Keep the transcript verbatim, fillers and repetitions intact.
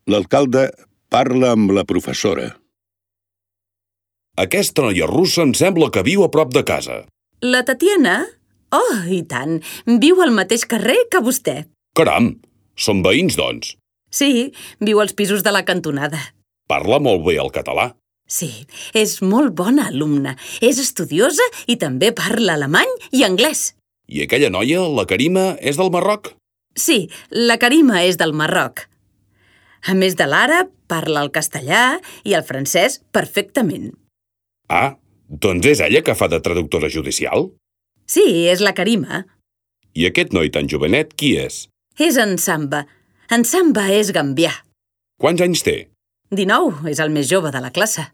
L'alcalde parla amb la professora. Aquesta noia russa em sembla que viu a prop de casa. La Tatiana? Oh, i tant. Viu al mateix carrer que vostè. Caram, són veïns, doncs. Sí, viu als pisos de la cantonada. Parla molt bé el català. Sí, és molt bona alumna. És estudiosa i també parla alemany i anglès. I aquella noia, la Karima, és del Marroc? Sí, la Karima és del Marroc. A més de l'àrab, parla el castellà i el francès perfectament. Ah, doncs és ella que fa de traductora judicial? Sí, és la Karima. I aquest noi tan jovenet, qui és? És en Samba. En Samba és gambià. Quants anys té? dinou, és el més jove de la classe.